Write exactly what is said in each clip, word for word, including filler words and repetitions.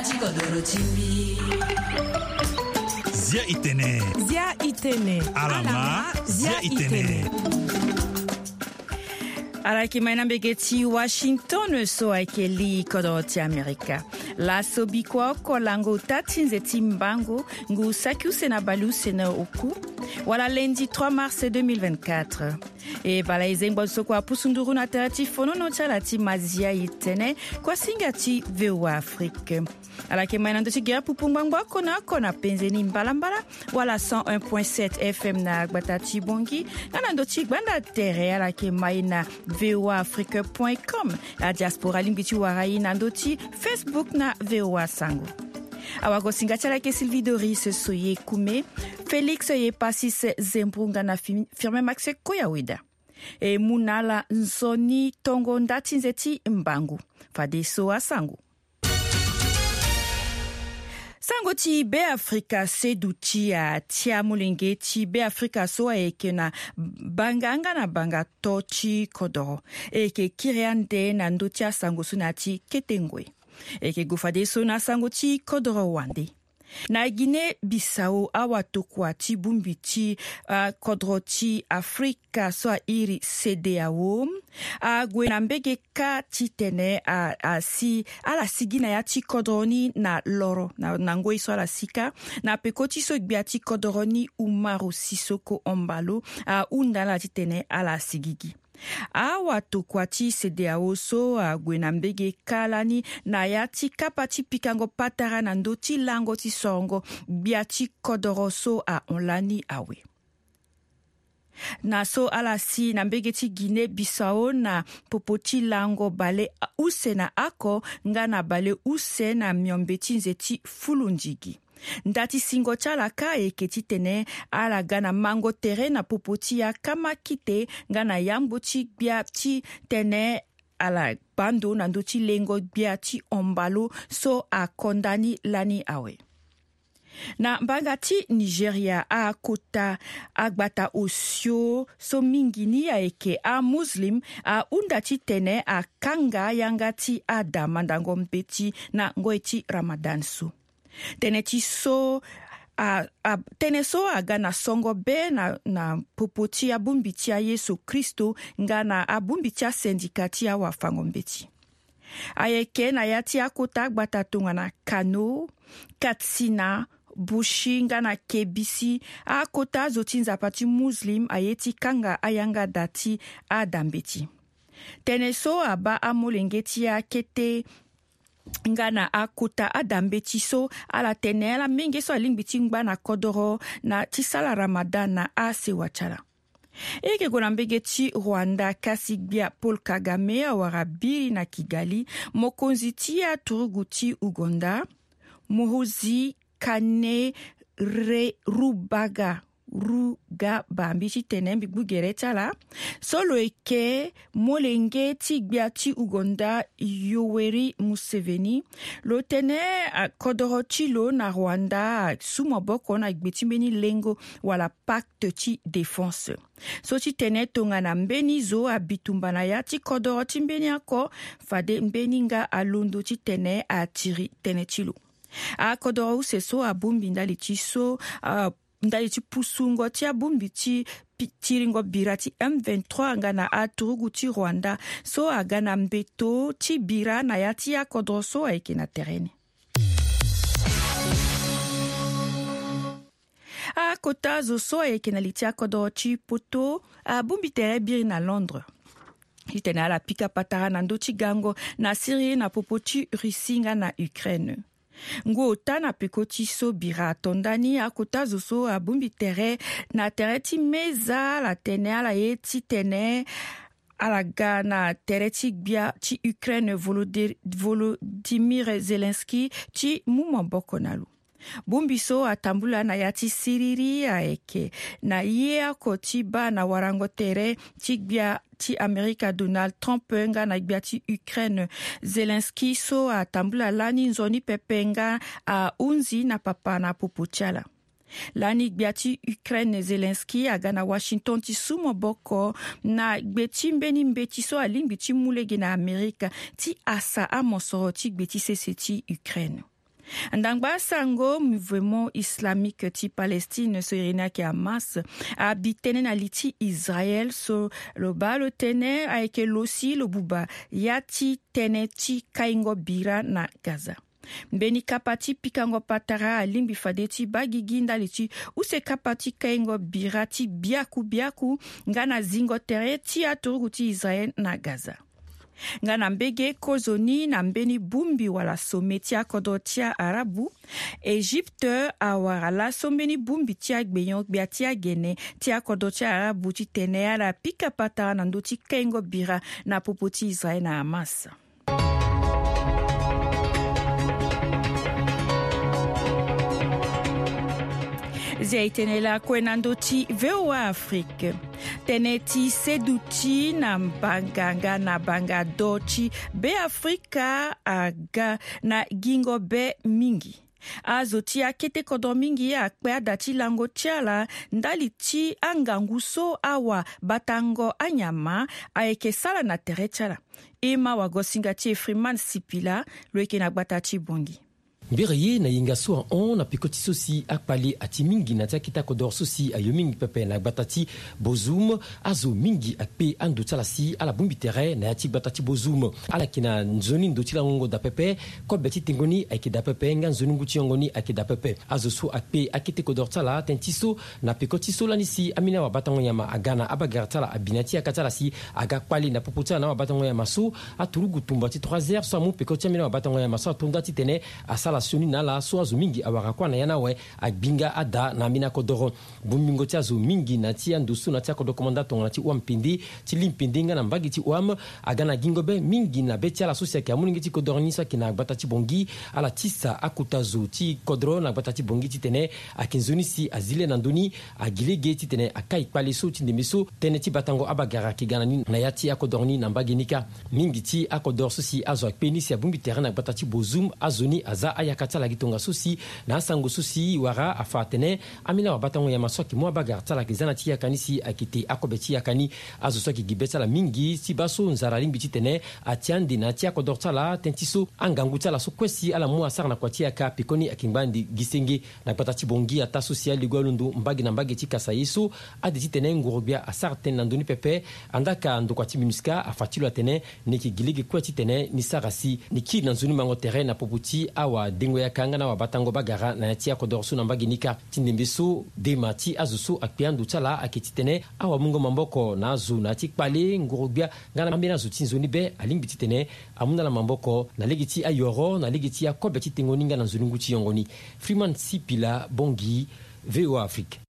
Zia itene. Zia itene. Alama. Zia itene. Ala yeke ma e na mbege ti Washington so ayeke li kodro ti Amerika. Laso bikua oko lango ota ti nze ti mbangu ngu saki use na baleuse na oku, wala lundi trois mars deux mille vingt-quatre. E bala e zengbo so kua pusu nduru na tere ti fonono ti ala ti ma zia itene, kua singa ti V O A Afrique. Ala yeke ma e na ndö ti gere pupu ngbangbo oko na oko na penze ni mbalambala, wala cent un point sept F M na gbata ti Bongi, nga na ndö ti gbanda tere ala yeke ma e na V O A Afrique point com. Adiaspora alingbi ti wara e na ndö ti Facebook na V O A Sango. Awagosinga ti ala yeke Sylvie Doris Soye Kume, Félix Yepasis Zembrunga na Fi-, Firmin Max Koyaweda. E mu na ala nzoni tongo nda ti nze ti mbangu. Fadeso asango. Sango ti Beafrika seduti atia molenge ti Beafrika so ayeke na banga nga na banga to ti kodoro. E yeke kiri ande na ndö ti asango so na ya ti kete ngoi. E yeke gue fadeso na sango ti kodoro wande. Na Guinée Bissau, awatokua ti bongbi ti, ah, kodro ti Afrika so a iri CEDEAO ague na mbege kâ titene a, asi, ala sigi na ya ti kodro ni na loro, na, na ngoi so ala si kâ, na peko ti so gbia ti kodro ni Umaro Sissoco Embaló ahunda na ala titene ala sigi gi. Awatokua ti CEDEAO so ague na mbege kâ lani na ya ti kapa ti pikango patara na ndö ti lango ti sorongo gbia ti kodoro so ahon lani awe. Na so ala si na mbege ti Guinée Bissau na popo ti lango bale use na oko nga na bale use na miombe ti nze ti fulu ndigi. Nda ti singo ti ala kâ ayeke titene ala ga na mango tere na popo ti akama kite nga na yambo ti gbia titene ala baa ndo na ndö ti lengo gbia ti Embaló so akonda ni lani awe. Na mbanga ti Nigeria, akota agbata osio so mingi ni ayeke amuslim ahunda titene akanga yanga ti ada mandango mbeti na ngoi ti Ramadan so. Tënë ti so, a, a, tënë so aga na songo be na, na popo ti abongbi ti aYesu Kristo nga na abongbi ti asendika ti awafango-mbeti. Ayeke na ya ti akota agbata tongana Kano, Katsina, Bauchi nga na Kebisi, akota azo ti Nzapa ti Muslim aye ti kanga ayanga da ti ada mbeti. Tënë so abaa amolenge ti akete nga na akota ada mbeti so ala tene ala menge so alingbi ti ngba na kodoro na ti sala Ramadan na asewa ti ala. E yeke gue na mbege ti Rwanda kasi gbia Paul Kagame awara biri na Kigali mokonzi ti aturugu ti Uganda, Muhoozi Kainerugaba, Rugaba, mbi ti tene mbi gbu gere ti ala. So lo yeke molenge ti gbia ti Uganda Yoweri Museveni. Lo tene, ah, kodoro ti lo na Rwanda asu maboko na gbe ti mbeni lengo wala pacte ti défense. So ti tene tongana mbeni zo abitumba na ya ti kodoro ti mbeni oko, fade mbeni nga alondo titene atiri tënë ti lo. Akodoro use so abongbi ndali ti so, ah, ndali ti pusungo ti abongbi ti pi-, tiringo bira ti M vingt-trois nga na aturugu ti Rwanda so aga na mbeto ti bira na ya ti akodoro so ayeke na tere ni. Akota zo so ayeke na li ti akodoro ti poto abongbi tere biri na Londres titene ala pika patara na ndö ti gango na Syrie na popo ti Russie nga na Ukraine. Ngu ota na peko ti so bira ato ndani, akota zo so abongbi tere na tere ti meza ala tene ala ye titene ala ga na tere ti gbia ti Ukraine Volode-, Volodymyr Zelensky ti mu maboko na lo. Bongbi so atambula na ya ti siriri ayeke na ye oko ti baa na warango tere ti gbia ti Amerika Donald Trump nga na gbia ti Ukraine Zelensky so atambula lani nzoni pepe nga ahunzi na papa na popo ti ala. Lani gbia ti Ukraine Zelensky aga na Washington ti su maboko na gbe ti mbeni mbeti so alingbi ti mu lege na Amerika ti asa amosoro ti gbe ti sese ti Ukraine. Ndangba sango mouvement islamique ti Palestine so iri ni ayeke Hamas abi tënë na li ti Israël so lo baa lo tene ayeke lo si lo buba ya ti tënë ti kaingo bira na Gaza. Mbeni kapa ti pikango patara alingbi fade ti baa gigi ndali ti use kapa ti kaingo bira ti biaku biaku nga na zingo tere ti aturugu ti Israël na Gaza. Nga na mbege kozoni na mbeni bongbi wala sommet ti akodro ti aarabu, Egypte awara laso mbeni bongbi ti agbenyo-gbia ti agene ti akodro ti aarabu titene ala pika patara na ndö ti kaingo bira na popo ti Israël na Hamas. Zia e tene lakue na ndö ti V O A Afrique. Tënë ti seduti na mbanga nga na banga do ti Beafrika aga na gingo be mingi. Azo ti akete kodro mingi akpe ada ti lango ti ala ndali ti angangu so awabatango anyama ayeke sara na tere ti ala. E ma wagosinga ti e Freeman Sipila lo yeke na gbata ti Bongi. Mbiri ye na yenga so ahon na peko ti so si akpale ati mingi na ti akete akodoro so si ayo mingi pepe na gbata ti Bozoum. Azo mingi akpe ando ti ala si ala bongbi tere na ya ti gbata ti Bozoum. Ala yeke na nzoni ndo ti langongo daa pepe. Kobe ti tengo ni ayeke daa pepe nga nzoni ngu ti yongo ni ayeke daa pepe. Azo so akpe akete kodoro ti ala tënë ti so na peko ti so lani si ambeni awabatango nyama aga na abagara ti ala abi na ya ti yaka ti ala si aga kpale na popo ti ala na awabatango nyama so. Aturugu tumba ti trois heures so amu peko ti ambeni awabatango nyama so ato nda titene asara sioni na ala so azo mingi awara kuâ na ya ni awe. Agbi nga ada na ambeni akodoro. Bongbingo ti azo mingi na ti ando so na ti akodoro komanda tongana ti Ouam Pende, ti Lim Pende nga na mbage ti Ouam, aga na gingo be mingi na be ti ala so si ayeke amolenge ti kodoro ni so ayeke na gbata ti Bongi. Ala tisa akota zo ti kodoro na gbata ti Bongi titene ayeke nzoni si azi le na ndö ni. Agi lege titene akai kpale so ti ndembe so tënë ti batango abagara ayeke ga na ni na ya ti akodoro ni na mbage ni kâ. Mingi ti akodoro so si azo akpe ni si abongbi tere na gbata ti Bozoum, azo ni aza ayaka ti ala gi tongaso si na asango so si wara afa atene ambeni awabatango nyama so ayeke mu abagara ti ala ayeke za na ti yaka ni si ayeke te akobe ti yaka ni. Azo so ayeke gi be ti ala mingi ti baa so nzara alingbi titene ati ande na ya ti akodoro ti ala tënë ti so angangu ti ala so kue si ala mu asara na kua ti yaka pekoni ayeke ngba ande gi senge. Na gbata ti Bongi ataa so si alego alondo mbage na mbage ti kasa ye so ade titene ngoro-gbia asara tënë na ndö ni pepe. Andaa ka ndokua ti MINUSCA afa ti lo atene ni yeke gi lege kue titene ni sara si ni kiri na nzoni mango tere na popo ti awadengo yaka nga na awabatango bagara na ya ti akodoro so na mbage ni kâ. Ti ndembe so dema ti azo so akpe ando ti ala ayeke titene awamungo maboko na azo na ya ti kpale ngoro-gbia nga na ambeni azo ti nzoni be alingbi titene amu na ala maboko na lege ti ayoro na lege ti akobe ti tengo ni nga na nzoni ngu ti yongo ni. Freeman Sipila, Bongi, V O A Afrique.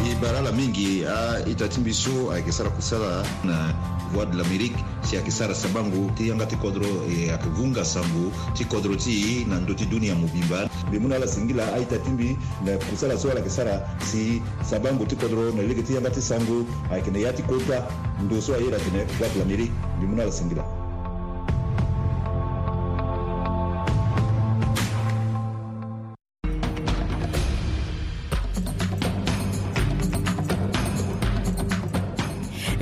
E bara ala mingi a-ita ti mbi so ayeke sara kusala na Voix de l'Amérique si ayeke sara sabango ti yanga ti kodro, e ayeke vunga sango ti kodro ti e na ndö ti dunia mobimba. Mbi mu na ala singila a-ita ti mbi na kusala so ala yeke sara si sabango ti kodro na lege ti yanga ti sango ayeke na ya ti kota ndo so aye ala atene Voix de l'Amérique. Mbi mu na ala singila.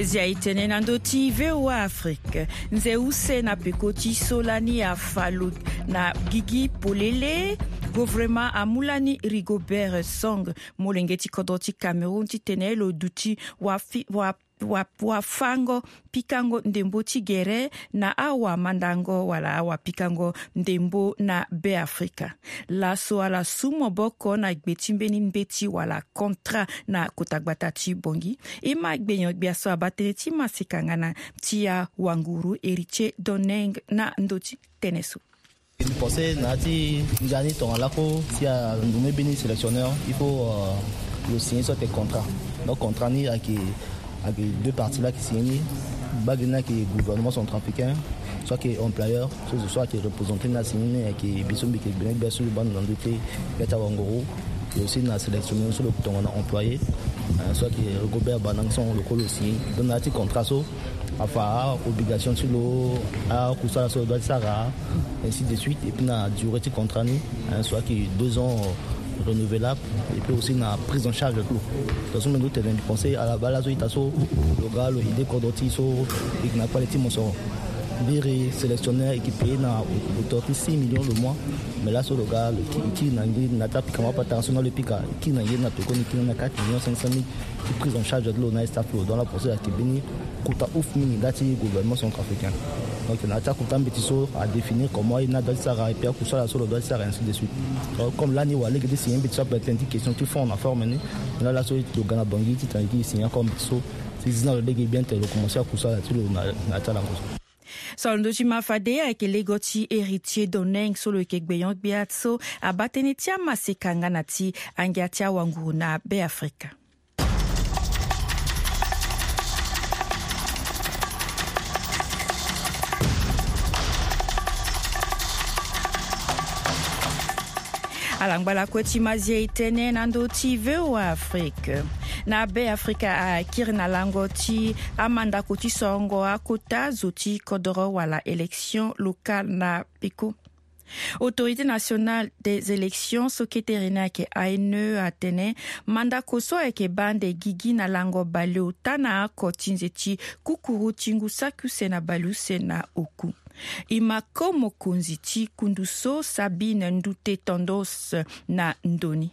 Zia e tene na ndö ti V O A Afrique. Nze use na peko ti so lani afa lo na gigi polele. Governement amu lani Rigobert Song, molenge ti kodro ti Cameroun, titene lo duti wafi-, wa-, wa-, wafango pikango ndembo ti gere na awamandango wala awapikango ndembo na Beafrika. Laso ala su maboko na gbe ti mbeni mbeti wala contrat na kota gbata ti Bongi. E ma gbenyo-gbia so abaa tënë ti maseka nga na ti awanguru Héritier Doneng na ndö ti tënë so. Mbi pensé na ya ti ngia ni tongana lakue si anommé mbeni sélectionneur, il faut, euh, lo signer soit contrat. Donc contrat ni ayeke, ayeke deux parties la ayeke signé ni. Mbage ni ayeke gouvernement centrafricain, soit ayeke employeur, so zo so ayeke représenté ni asigné ni, ayeke biso mbi yeke gbenyo-gbia so lo baa ndo na ndö ti gbia ti awanguru. Et aussi na sélectionneur so lo yeke tongana employé, euh, soit ayeke Rigobert Banang so lo kue lo signé. Donc na ya ti contrat so afa a-obligation ti lo, akusala so lo doit ti sara, ainsi de suite. Et puis na durée ti contrat ni, hein, so ayeke deux ans, euh, renouvelable. Et puis aussi na prise en charge ti lo. Tongaso mbi ndu tene mbi pensé ala baa laso ita so lo ga lo aidé kodro ti e so e yeke na kpale ti mosoro. Mbiri sélectionneur e ke paye na hauteur ti six millions le mois. Mais laso lo ga lo kiri na nge na ta pika ma patara so na lo pika kiri na nge na tokoni kiri na quatre millions cinq cent mille. Ti prise en charge ti lo na staff lo donc la procès ake mbeni kota ouf mingi nda ti gouvernement centrafricain. Donc na ya ti akota mbeti so a définir comment e na doit ti sara et puis akusala so lo doit ti sara, ainsi de suite. Donc comme lani wala lege ti signer mbeti so ape tene ti question ti fond na forme ni. Lala so lo ga na bangi ti tene ti signer encore mbeti so ti zi na lo lege bien tene lo commencer akusala ti lo na ya ti alango so. So lo ndö ti ma fade ayeke lego ti Héritier Doneng so lo yeke gbenyo-gbia so abaa tënë ti amaseka nga na ti angia ti awanguru na Beafrika. Ala ngba lakue ti mazia e tënë na ndö ti V O A Afrique. Na Beafrika akiri na lango ti amandako ti sorongo akota zo ti kodoro wala élection locale na peko. Autorité nationale des élections so kete iri ni ayeke A N E atene mandako so ayeke baa ande gigi na lango baleota na oko ti nze ti kukuru ti ngu saki use na baleuse na oku. E ma ko mokonzi ti kundu so Sabine Ndute Tendance na ndo ni.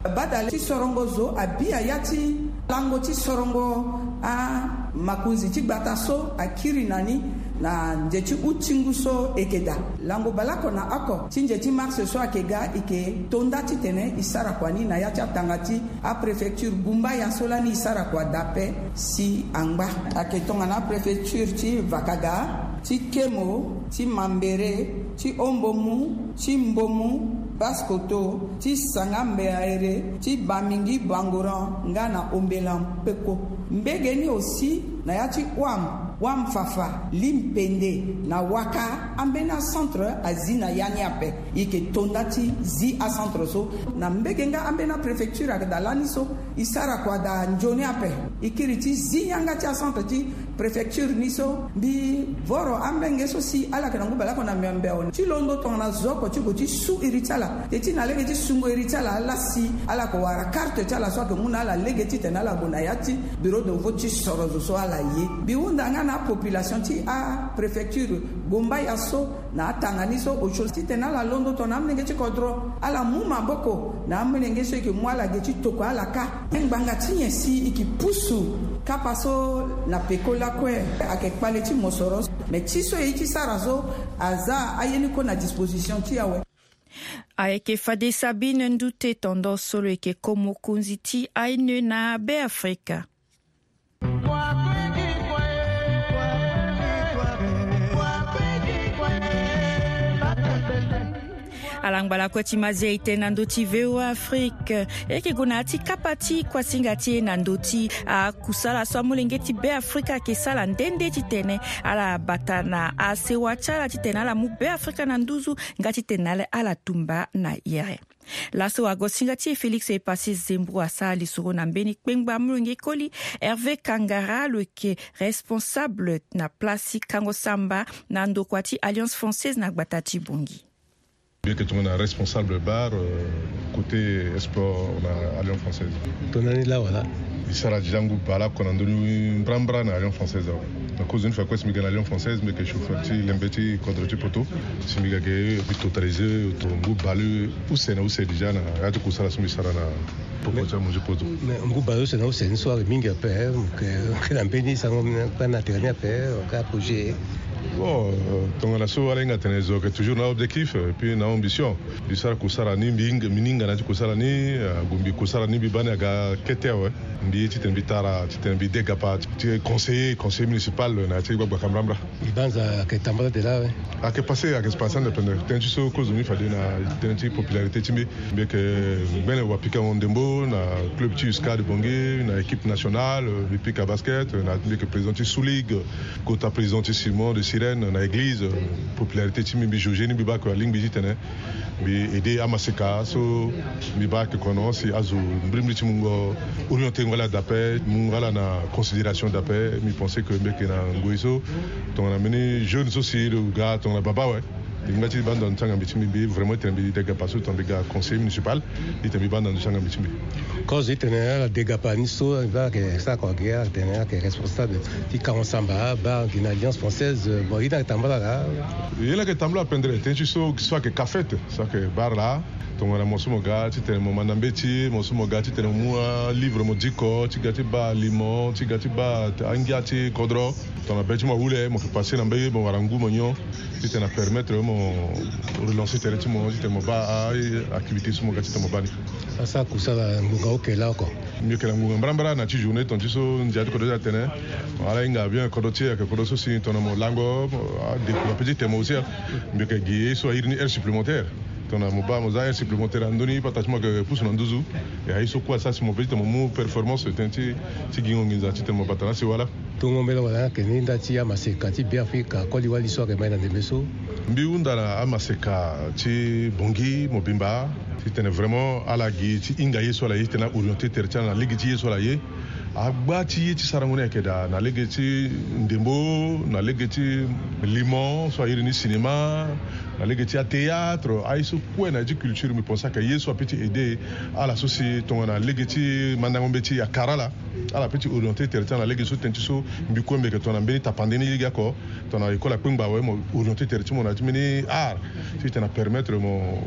Badale ti sorongo zo abi ya ti lango ti sorongo amakonzi ti gbata so akiri na ni na nze ti uti ngu so e ke daa. Lango baleoko na oko ti nze ti mars so ayeke ga e ke to nda titene e sara kua ni na ya ti atanga ti apréfecture Gumbaya so lani e sara kua daa ape si angba. Ayeke tongana apréfecture ti Vakaga, ti Kemo, ti Mambere, ti Ombomu, ti Mbomu, Basse-Kotto, ti Sanga-Mbeaere, ti Bamingi-Bangoran nga na Ombelan-Peko. Mbege ni aussi na ya ti Ouam, Ouam-Fafa, Lim-Pende na Ouaka, ambeni acentre azi na ya ni ape. E yeke to nda ti zi acentre so na mbege nga ambeni apréfecture ayeke daa lani so. E sara kua daa nzoni ape. E kiri ti zi yanga ti acentre ti préfecture ni so mbi voro amolenge so si ala yeke na ngu baleoko na miombe awe ti londo tongana zo oko ti gue ti su iri ti ala. Te ti na lege ti sungo iri ti ala ala si ala yeke wara karte ti ala so ayeke mu na ala lege titene ala gue na ya ti bureau de vote ti soro zo so ala ye. Mbi hunda nga na apopulation ti apréfecture Gombaya so na atanga ni so osio titene ala londo tongana amolenge ti kodro ala mu maboko na amolenge so e yeke mu ala ge ti tokua ala kâ. Ngbanga ti nyen si e ke pusu kapa so na peko lakue? Ayeke kpale ti mosoro. Mais ti so e ye ti sara so aza aye ni kue na disposition ti e awe. Ayeke fade Sabine Ndute Tendance so lo yeke ko mokonzi ti A N E na Beafrika. Ala ngba lakue ti mazia e tene na ndö ti V O A Afrique. E yeke gue na ya ti kapa ti kuasinga ti e na ndö ti akusala so amolenge ti Beafrika ayeke sara nde nde titene ala bata na asewa ti ala titene ala mu Beafrika na nduzu nga titene ala tumba na yere. Laso wagosinga ti e Félix Epassi Zembrou asara lisoro na mbeni kpengba molenge koli Hervé Kangara lo yeke responsable na place ti kango samba na ndokua ti Alliance Française na gbata ti Bangui. Mbi yeke tongana responsable bar, euh, côté sport na Alliance Française. Tongana ni laa wala? Mbi sara déjà ngu baleoko na ndö ni mbrambra na Alliance Française awe. Na kozo ni fa kue si mbi ga na Alliance Française mbi yeke chauffeur ti lembe ti kodro ti poto. Si mbi ga ge mbi totalisé to ngu baleuse use na use déjà na ya ti kusala so mbi sara na popo ti amu ti poto. Mais ngu baleuse na use ni so ayeke mingi ape, eh, mo yeke na mbeni sango kue na tere ni ape, eh, mo yeke approché. Bon, euh, tongana so ala hinga tene zo yeke toujours na objectif, euh, et puis na ambition. Mbi sara kusala ni, mbi hinga, mbi hinga na ya ti kusala ni, euh, gu mbi kusala ni mbi baa ni aga kete awe. Mbi ye titene mbi tara, titene mbi de gapa ti conseiller, conseiller municipal na ya ti gbagba kambrambra. Mbi banza ayeke tambala de laa awe. Ayeke passé, ayeke passé ande pendere. Tënë ti so kozo ni fade na tënë ti popularité ti mbi. Mbi yeke ngbene wapikango ndembo na club ti USCAD Bangui, na équipe nationale, mbi pika basket, na mbi yeke président ti Sous Ligue, kota président ti Simon de Sirène, na église, popularité ti mbi, mbi jauger ni, mbi baa ayeke alingbi titene mbi aidé amaseka so mbi baa ayeke kono si azo mbrimbri ti mungo orienté ngo ala dape, mungo ala na considération dape. Mbi pensé que mbi yeke na ngoi so tongana mbeni jeune so si lo ga tongana baba awe. Mbi nga ti baa ndo na ndö ti angambi ti mbi, mbi vraiment titene mbi degapa so titene mbi ga conseiller municipal, titene mbi baa ndo na ndö ti angambi ti mbi. Kozo titene ala degapa ni so mbi baa ayeke sara kua gi, ala tene ala yeke responsable ti kango samba abaa gi na Alliance Française. Bon, ye ni ayeke tambula laa. Ye ni ayeke tambula pendere tënë ti so so ayeke kafete so ayeke bar laa. Tongana mo so mo ga titene mo manda mbeti, mo so mo ga titene mo mu alivre mo diko, ti ga ti baa aliment, ti ga ti baa angia ti kodro. Tongana be ti mo ahule, mo yeke passe na mbage, mo wara ngu mo nyon, titene apermettre mo relancer tere ti mo, titene mo baa a-activité so mo ga titene mo baa ni. Asara kusala ngonga oke laa oko. Mbi yeke na ngonga mbarambara na ti journée, tonga ti so ndia ti kodro ti atene ala hinga bien kodro ti e, ayeke kodro so si tongana mo lango adécouvre ape ti tene mo aussi. Mbi yeke gi ye so airi ni heure supplémentaire. Tongana mo baa mo za heure supplémentaire na ndö ni, pata ti mo ayeke pusu na nduzu. E aye so kue asara si mo pe titene mo mu performance tënë ti ti gingo nginza titene mo bata na asi wala. Tongo mbela wala ayeke ni nda ti amaseka ti Beafrika koli wali so ayeke mai na ndembe so. Mbi hunda na amaseka ti Bangui mobimba titene vraiment ala gi ti hinga ye so ala ye titene aorienter tere ti ala na lege ti ye so ala ye. Agba ti ye ti sarango ni ayeke daa na lege ti ndembo, na lege ti limon so airi ni cinéma, na lege ti athéâtre, aye so kue na ya ti culture, mbi pense ayeke ye so ape ti aider ala so si tongana lege ti mandango mbeti akara ala. Ala pe ti orienter tere ti ala na lege so tënë ti so mbi kue mbi yeke tongana mbeni tapande ni lege oko. Tongana école akpengba awe mo orienter tere ti mo na ya ti mbeni art titene apermettre mo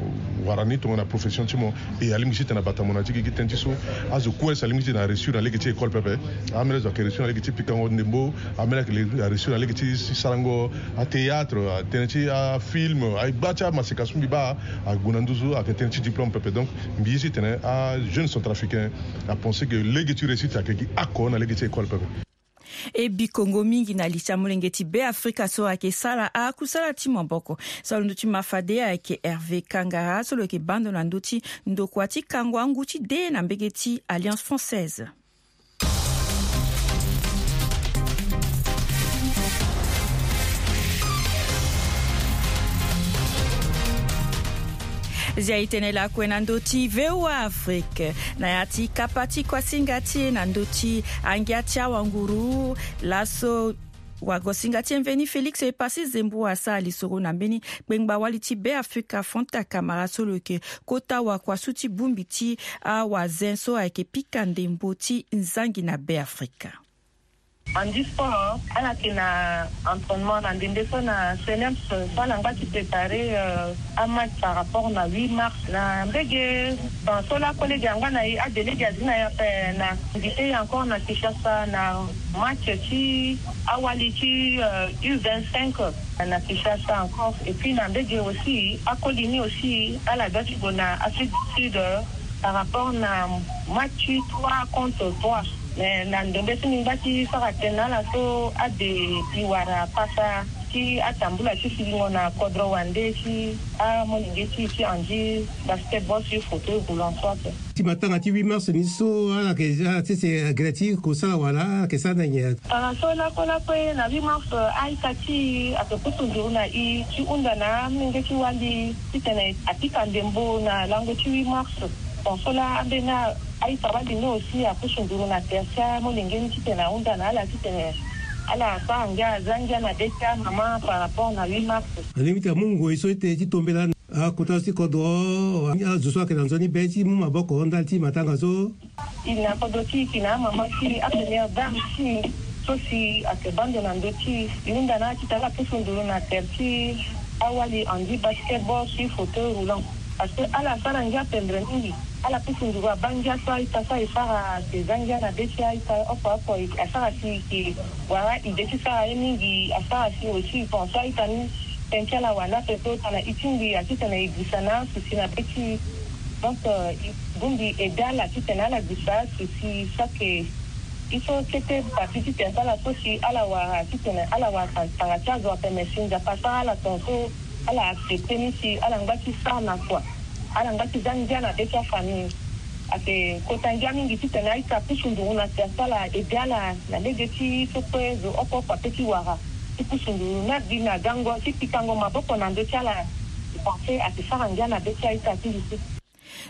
wara ni tongana profession ti mo. E alingbi titene abata mo na ya ti gigi tënë ti so azo kue si alingbi titene aréussir na lege ti école pepe. Amene zo ayeke réussir na lege ti pikango ndembo, amene ayeke aréussir na lege ti sarango athéâtre, atënë ti afilm, agba ti amaseka so mbi baa ague na nduzu ayeke tënë ti diplôme pepe. Donc mbi ye titene ajeune centrafricain apense ke lege ti réussite ayeke gi oko na lege ti école pepe. E bikongo mingi na li ti amolenge ti Beafrika so ayeke sara akusala ti maboko. So alondo ti ma fade ayeke Hervé Kangara so lo yeke baa ndo na ndö ti ndokua ti kango angu ti de na mbege ti Alliance Française. Zia e tene lakue na ndö ti V O A Afrique na ya ti kapa ti kuasinga ti e na ndö ti angia ti awanguru. Laso wagosinga ti e mveni Félix Epassi Zembo asara lisoro na mbeni kpengba wali ti Beafrika Fanta Kamara so lo yeke kota wakua su ti bongbi ti awazen so ayeke pika ndembo ti nzangi na Beafrika. En du sport, ala yeke na entraînement na ndembe so na CNEPS so ala ngba ti préparer amatch par rapport na huit mars na mbege. Bon, so laa collègue angba na e, adelege azi na e ape na invité e encore na Kinshasa na match ti awali ti U vingt-cinq na Kinshasa encore. Et puis na mbege aussi akoli ni aussi ala doit ti gue na Afrique du Sud par rapport na match trois contre trois. Mais na ndembe so mbi ngba ti sara tënë na ala so ade e wara pasa ti atambula ti silingo na kodro wande ti amolenge ti e ti Andy, basketball sur fauteuil roulant so ape. Ti matanga ti huit mars ni so ala yeke ala sese gere ti kosala wala ala yeke sara na nyen? Tara so lakue lakue na huit mars, a-ita ti e ayeke pusu nduru na e ti hunda na amolenge ti wali titene apika ndembo na lango ti huit mars. Bon, so laa ambeni a-ita wali ni aussi apusu nduru na tere ti amolenge ni titene ahunda na ala titene ala sara ngia, aza ngia na be ti amama par rapport na huit mars. Alingbi ti amu ngoi so ete ti tombela akota so ti kodro, azo so ayeke na nzoni be ti mu maboko ndali ti matanga so. E na kodro ti e, e na amama ti e, apremière dame ti e so si ayeke baa ndo na ndö ti e, e hunda na ala titene ala pusu nduru na tere ti awali Andy, basketball sur fauteuil roulant. Parce que ala sara ngia pendre mingi. Ala pusu nduru abaa ngia so a-ita so aye sara ayeke za ngia na be ti a-ita oko oko. Asara si e yeke wara ide ti sara ye mingi. Asara si aussi bon so a-ita ni tënë ti ala wanda ape so tongana e tingbi a titene e gusa na asouci na be ti e. Donc e bongbi aidé ala titene ala gusa asouci so ayeke e so kete partie ti tene ti ala so si ala wara titene ala wara tanga ti azo ape, mais si Nzapa asara ala tongaso ala accepter ni si ala ngba ti sara na kua, ala ngba ti za ngia na be ti afamille. Ayeke kota ngia mingi titene a-ita apusu nduru na tere ti ala, aidé ala na lege ti so kue zo oko oko ape ti wara ti pusu nduru na gbi na gango ti pikango maboko na ndö ti ala. E pense ayeke sara ngia na be ti a-ita ti lisu.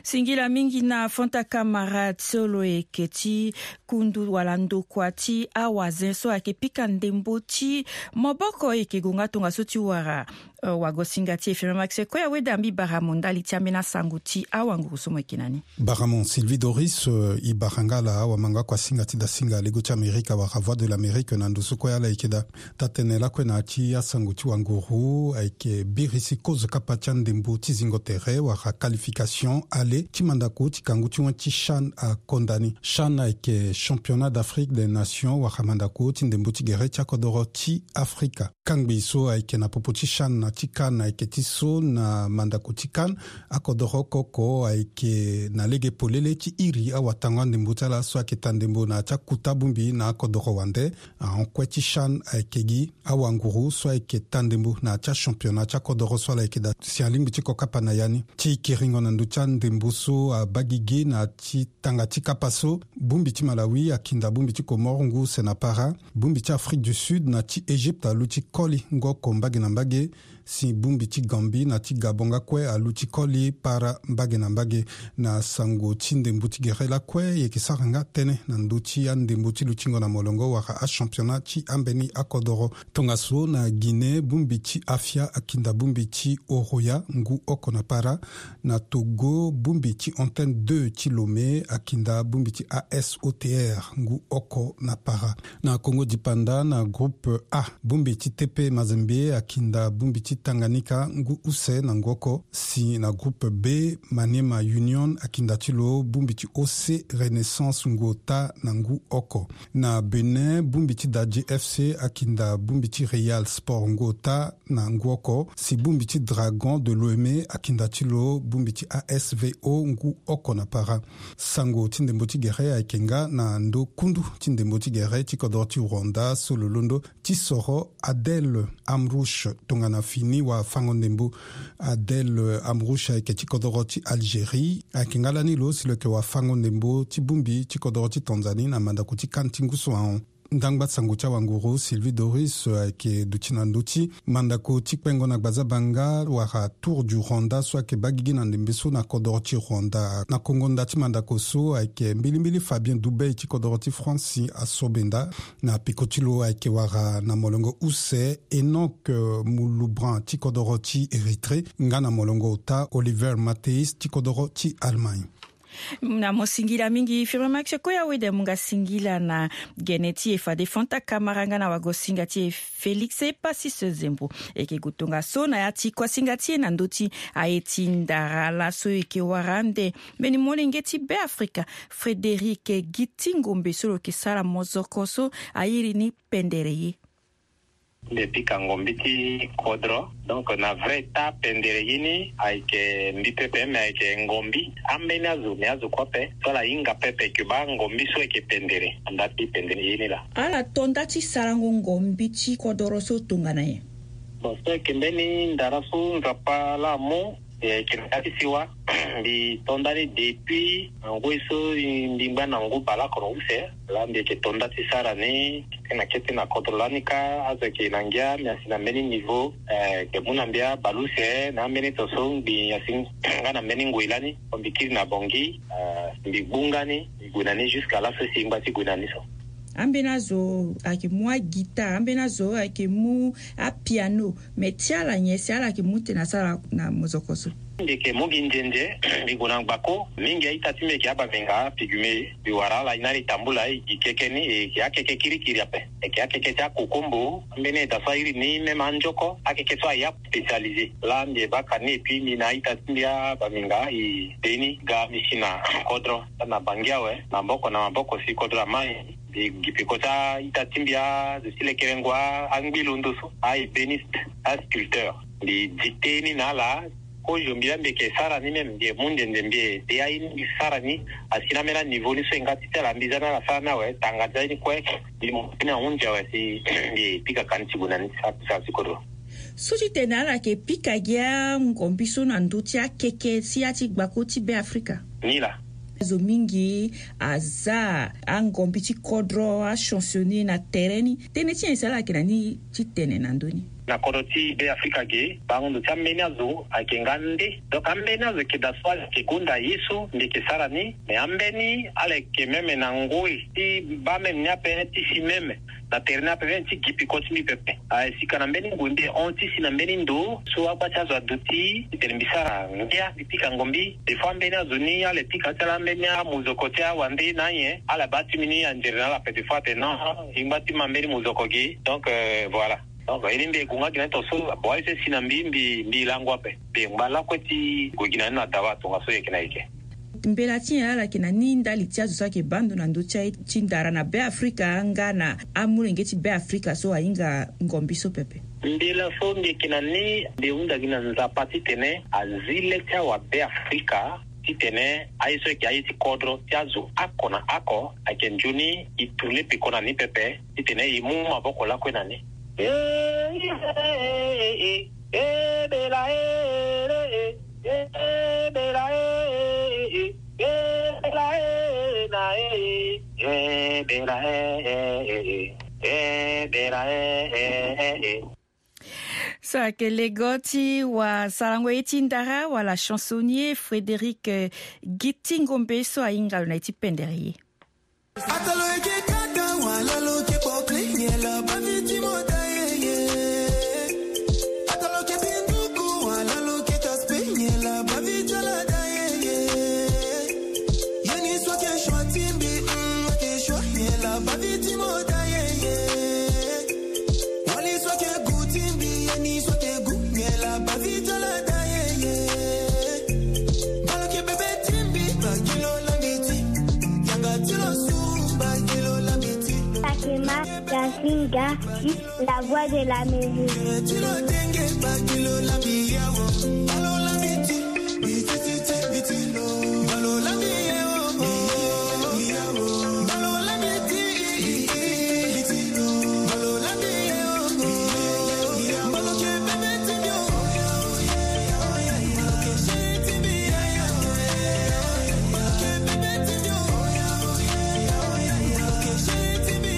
Singila mingi na Fanta Kamara so lo yeke ti kundu wala ndokua ti awazen so ayeke pika ndembo ti maboko, e yeke gue nga tongaso ti wara Wagosinga ti e Firmin Max Koya Wede ambi bara mo ndali ti ambeni asango ti awanguru so mo yeke na ni. Bara mo Sylvie Doris. E bara nga ala awamango akuasinga ti dasinga lego ti Amerika wala Voix de l'Amérique na ndo so kue ala yeke daa. Taa-tënë lakue na ya ti asango ti wanguru ayeke birisi kozo kapa ti andembo ti zingo tere wala qualification aller ti mandako ti kangu ti wen ti CHAN akonda ni. CHAN ayeke Championnat d'Afrique des Nations wala mandako ti ndembo ti gere ti akodoro ti Afrika. Kangbi so ayeke na popo ti CHAN na ti CAN ayeke ti so na mandako ti CAN, akodoro oko oko ayeke na lege polele ti iri awatango andembo ti ala so ayeke taa ndembo na ya ti akuta bongbi na akodoro wande. Ahon kue ti CHAN ayeke gi awanguru so ayeke taa ndembo na ya ti achampionnat ti akodoro so ala yeke daa. Si alingbi ti kokapa na ya ni ti kiringo na ndö ti andembo so abaa gigi na ya ti tanga ti kapa so, bongbi ti Malawi akinda bongbi ti Comores ngu use na para. Bongbi ti Afrique du Sud na ti Égypte aluti koli ngu oko mbage na mbage. Si bongbi ti Gambie na ti Gabon nga kue aluti koli para mbage na mbage. Na sango ti ndembo ti gere lakue e yeke sara nga tënë na ndö ti andembo ti lutingo na molongo wala achampionnat ti ambeni akodoro. Tongaso na Guinée, bongbi ti Afia akinda bongbi ti Horoya ngu oko na para. Na Togo, bongbi ti Antenne deux ti Lomé akinda bongbi ti A S O T R ngu oko na para. Na Kongo Dipanda, na groupe A, bongbi ti T P Mazembe akinda bongbi ti Tanganyika ngu use na ngu oko. Si na groupe B, Maniema Union akinda ti lo bongbi ti O C Renaissance ngu ota na ngu oko. Na Bénin, bongbi ti Dadje F C akinda bongbi ti Real Sport ngu ota na ngu oko. Si bongbi ti Dragon de Lomé akinda ti lo bongbi ti A S V O ngu oko na para. Sango ti ndembo ti gere ayeke nga na ndö kundu ti ndembo ti gere ti kodoro ti Rwanda so lo londo ti soro Adel Amrouche tongana fini wafango-ndembo. Adel Amrouche ayeke ti kodoro ti Algérie, ayeke nga lani lo si lo yeke wafango-ndembo ti bongbi ti kodoro ti Tanzanie na mandako ti CAN ti ngu so ahon. Ndangba sango ti awanguru Sylvie Doris ayeke duti na ndö ti mandako ti kpengo na gbazabanga wala Tour du Rwanda so ayeke baa gigi na ndembe so na kodoro ti Rwanda. Na kongo nda ti mandako so ayeke mbilimbili Fabien Doubey ti kodoro ti France asobenda. Na peko ti lo ayeke wara na molongo use Enoch Mouloubran ti kodoro ti Érythrée nga na molongo ota Oliver Matthys ti kodoro ti Allemagne. Na mo singila mingi Firmin Max Koya Wede, mu nga singila na gene ti e fade Fanta Kamara nga na wagosinga ti e Félix Epassis Zembo. E yeke gue tongaso na ya ti kuasinga ti e na ndö ti aye ti ndara laso e yeke wara ande mbeni molenge ti Beafrika Frédéric Giti Ngombe so lo yeke sara mozoko so a iri ni Pendere ye. Mbi pika ngombi ti kodro. Donc na vrai taa pendere ye ni ayeke mbi pepe, me ayeke ngombi ambeni azo, me azo kue ape so ala hinga pepe ke baa ngombi so ayeke pendere. Nda ti pendere ye ni laa. Ala to nda ti sarango ngombi ti kodoro so tongana nyen? Bon, so ayeke mbeni ndara so Nzapa laa amu, e yeke na ya ti siwa. Mbi to nda ni depuis na ngoi so mbi ngba na ngu baleoko na use. Laa mbi yeke to nda ti sara ni kete na kete na kodro lani kâ. Azo ayeke na ngia, mbi asi na mbeni niveau, eh, yeke mu na mbi abale use na ambeni to so mbi asi nga na mbeni ngoi lani. Mbi kiri na Bangui, eh, mbi gbu nga ni, mbi gue na ni jusqu'à laso si e ngba ti gue na ni so. Ambeni azo ayeke mu aguitare, ambeni azo ayeke mu apiano, me ti ala nyen si ala yeke mu tene asara na mozoko so? Mbi yeke mu gi nzenze, mbi gue na ngbako. Mingi a-ita ti mbi yeke abaminga, pigmée. Mbi wara ala e na ala e tambula, e gi keke ni, e yeke akeke kirikiri ape. E yeke akeke ti akokombo, ambeni eda so a iri ni même anzoko, akeke so aya spécialisé. Laa mbi e baka ni, et puis mbi na a-ita ti mbi abaminga e be ni ga mbi si na kodro, na Bangui awe, maboko na maboko si kodro amai. Mbi gi peko ti a-ita ti mbi, azo ti lekerengo, angbi londo so, a-ébéniste, asculpteur. Mbi dicté ni na ala. Kozo mbi laa mbi yeke sara ni même, mbi yeke mu nzenzembe de aye ni mbi sara ni. Asi na ambeni aniveau ni so e nga ti ti ala, mbi za na ala sara ni awe, tanga ti aye ni kue. Mbi mu ni ahunzi awe si mbi pika ka ni ti gue na ni ti sara ti kodro. So ti tene ala yeke pika gi angombi so na ndö ti akeke ti ya ti gbako ti Beafrika? Ni laa. Azo mingi aza angombi ti kodro, achansonnier na tere ni. Tënë ti nyen si ala yeke na ni ti tene na ndö ni? Na kodro ti Beafrika ge, bango ndo ti ambeni azo ayeke nga nde. Donc ambeni azo ayeke daa so ala yeke gonda ye so mbi yeke sara ni. Mais ambeni ala yeke même na ngoi ti baa même ni ape ti si même. Na tere ni ape, mbeni ti gi peko ti mbi pepe. Aye, si ka na mbeni ngu nde hon ti si na mbeni ndo so agba ti azo aduti titene mbi sara ngia, mbi pika ngombi. Des fois mbeni azo ni ala pika ti ala mbeni amozoko ti awande na anyen, ala baa ti mbi ni anzere na ala ape. Des fois atene non, e ngba ti ma mbeni mozoko ge. Donc, euh, voilà. Donc e ni mbi e gue nga gi na ni tongaso. Bon, aye so e si na mbi, mbi, mbi lango ape. Mbi e ngba lakue ti gue gi na ni na dawa tongaso e yeke na e yeke. Mbela ti nyen ala yeke na ni ndali ti azo so ayeke baa ndo na ndö ti aye ti ndara na Be Afrika nga na amolenge ti Be Afrika so ahinga ngombi so pepe? Mbela so mbi yeke na ni, mbi hunda gi na Nzapa titene azi le ti awa Be Afrika, titene aye so ayeke aye ti kodro ti azo oko na oko ayeke nzoni e tourner peko na ni pepe, titene e mu maboko lakue na ni. Eh, eh, eh, eh, eh. Eh, bela, eh, eh, eh, eh, bela, eh, eh, eh, eh, bela, eh, eh, na, eh, eh, eh, bela, eh, eh, eh, eh, eh, bela, eh, eh, eh, eh. So ayeke lego ti wasarango ye ti ndara wala chansonnier Frédéric, eh, Giti Ngombe so ahinga lo na ye ti pendere ye. Atalo eke kaka wala lo ke pokle nyela baviti mota ye ye. Atalo ke pinduku wala lo ke taspe nyela baviti ala da ye ye. Yeni so ke shwa timbi, mm, ke shwa nyela baviti mota ye ye. Wali so ke gu timbi, yeni so ke gu nyela baviti ala da ye ye. Balo ke bebe timbi, bakilo lambiti. Yanga tilo su, bakilo lambiti. Fatima Yasinga, la voix de l'Amérique.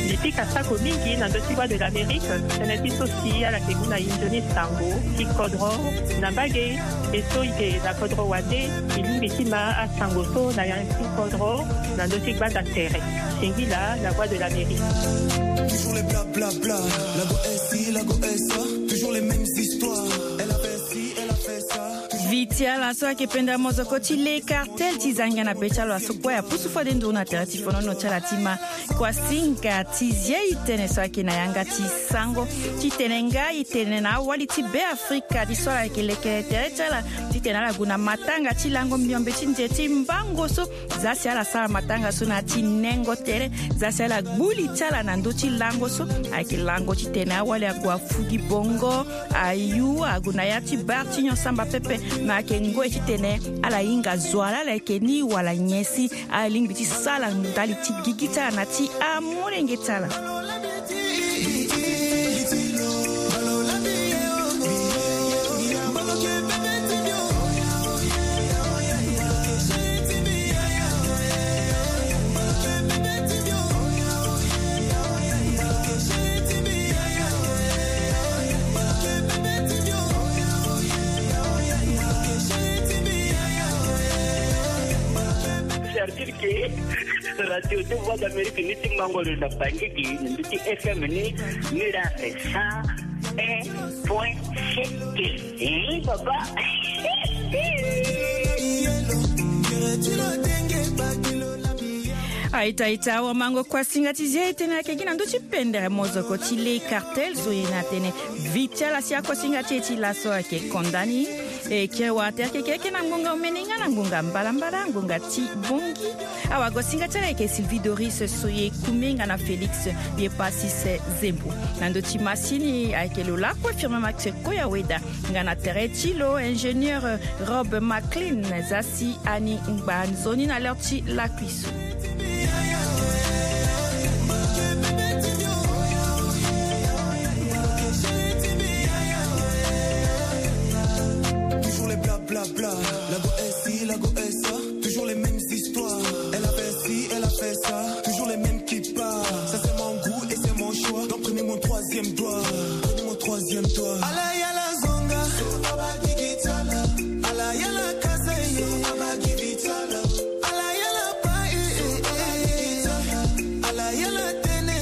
Mbi pika sako mingi na ndö ti Voix de l'Amérique, tënë ti so si ala yeke mu na e nzoni sango ti kodro na mbage. E so e yeke na kodro wande, e lingbi ti ma asango so na ya ti kodro na ndö ti gbanda tere. Singila, la Voix de l'Amérique. Toujours les blablabla, la go S I, la go S A, toujours les mêmes histoires. Elle a fait ci, elle a fait ça. Viti ala so ayeke pendere mozoko ti le Cartel ti za ngia na be ti ala so kue apusu fade nduru na tere ti fonono ti ala ti ma. Kuasinga ti zi e tënë so ayeke na yanga ti sango titene nga e tene na awali ti Be Afrika ti so ala yeke leke tere ti ala titene ala gue na matanga ti lango miombe ti nze ti mbango so. Za si ala sara matanga so na ya ti nengo tere, za si ala gbu li ti ala na ndö ti lango so. Ayeke lango titene awali ague afu gi bongo, ayu, ague na ya ti bar ti nyon samba pepe. Me ayeke ngoi titene ala hinga zo ala, ala yeke ni wala nyen si ala lingbi ti sara ndali ti gigi ti ala na ti amolenge ti ala. Servir ke radio ti Voix d'Amérique ni ti mango lo na Bangui gi na ndö ti F M ni, ni la cent un point sept. Eh, papa. A-ita, a-ita, awamango, kuasinga ti zi e tënë ayeke gi na ndö ti pendere mozoko ti le Cartel so e na tene viti ala si akuasinga ti e ti laso ayeke konda ni. E kiri wara tere keke ayeke na ngonga omene nga na ngonga mbalambala, ngonga ti bongi. Awagosinga ti ala ayeke Sylvie Doris Soye Kume nga na Félix Yepasis Zembo. Na ndö ti masini ayeke lo lakue Firmin Max Koyaweda. Nga na tere ti lo ingénieur Rob McLean, za si ani ngba nzoni na l'heure ti lakui so. Toujours les blablabla, la go S I, la go S A, toujours les mêmes histoires. Elle a fait ci, elle a fait ça, toujours les mêmes qui parlent. Ça c'est mon goût et c'est mon choix. Donc prenez mon troisième doigt, prenez mon troisième doigt. Ala yala zonga, ala yala kasa ye, ala yala pa, eh, eh, eh, eh. Ala yala tene,